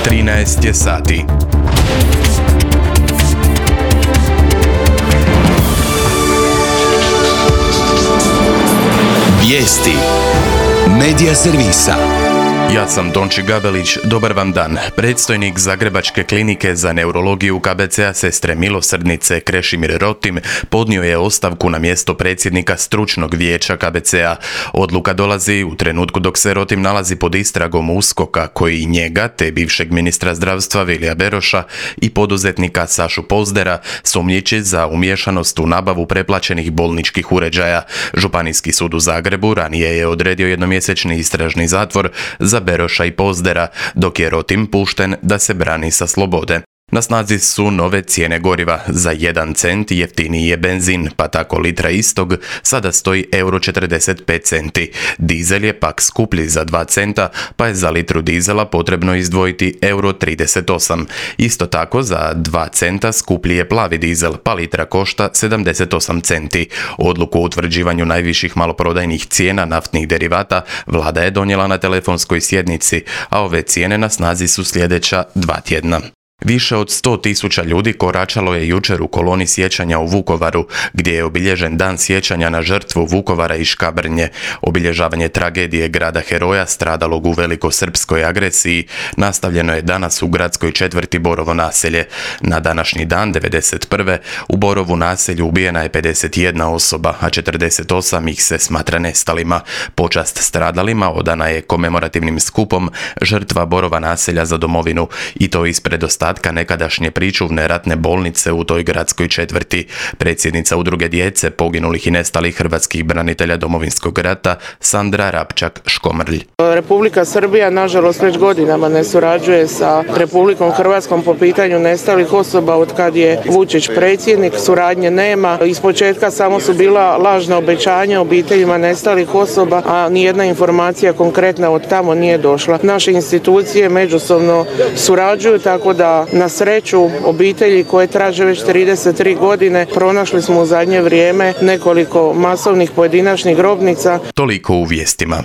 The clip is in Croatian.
13 je sati. Vijesti Medija servisa. Ja sam Tonči Gabelić, dobar vam dan. Predstojnik Zagrebačke klinike za neurologiju KBC-a Sestre milosrdnice Krešimir Rotim podnio je ostavku na mjesto predsjednika stručnog vijeća KBC-a. Odluka dolazi u trenutku dok se Rotim nalazi pod istragom USKOK-a koji njega, te bivšeg ministra zdravstva Vilija Beroša i poduzetnika Sašu Pozdera sumnjiči za umiješanost u nabavu preplaćenih bolničkih uređaja. Županijski sud u Zagrebu ranije je odredio jednomjesečni istražni zatvor za Beroša i Pozdera, dok je Rotim pušten da se brani sa slobode. Na snazi su nove cijene goriva. Za 1 cent jeftiniji je benzin, pa tako litra istog sada stoji €45. Dizel je pak skuplji za 2 centa, pa je za litru dizela potrebno izdvojiti €38. Isto tako za 2 centa skuplji je plavi dizel, pa litra košta 78 centi. Odluku o utvrđivanju najviših maloprodajnih cijena naftnih derivata vlada je donijela na telefonskoj sjednici, a ove cijene na snazi su sljedeća 2 tjedna. Više od 100.000 ljudi koračalo je jučer u koloni sjećanja u Vukovaru, gdje je obilježen dan sjećanja na žrtvu Vukovara i Škabrnje. Obilježavanje tragedije grada heroja stradalog u velikosrpskoj agresiji nastavljeno je danas u gradskoj četvrti Borovo naselje. Na današnji dan 1991. u Borovu naselju ubijena je 51 osoba, a 48 ih se smatra nestalima. Počast stradalima odana je komemorativnim skupom Žrtva Borova naselja za domovinu, i to ispred ostatka nekadašnje pričuvne ratne bolnice u toj gradskoj četvrti. Predsjednica udruge djece poginulih i nestalih hrvatskih branitelja Domovinskog rata Sandra Rapčak-Škomrlj. Republika Srbija nažalost već godinama ne surađuje sa Republikom Hrvatskom po pitanju nestalih osoba od kad je Vučić predsjednik. Suradnje nema. Ispočetka samo su bila lažna obećanja obiteljima nestalih osoba, a nijedna informacija konkretna od tamo nije došla. Naše institucije međusobno surađuju, tako da na sreću obitelji koje traže već 33 godine pronašli smo u zadnje vrijeme nekoliko masovnih pojedinačnih grobnica. Toliko u vijestima.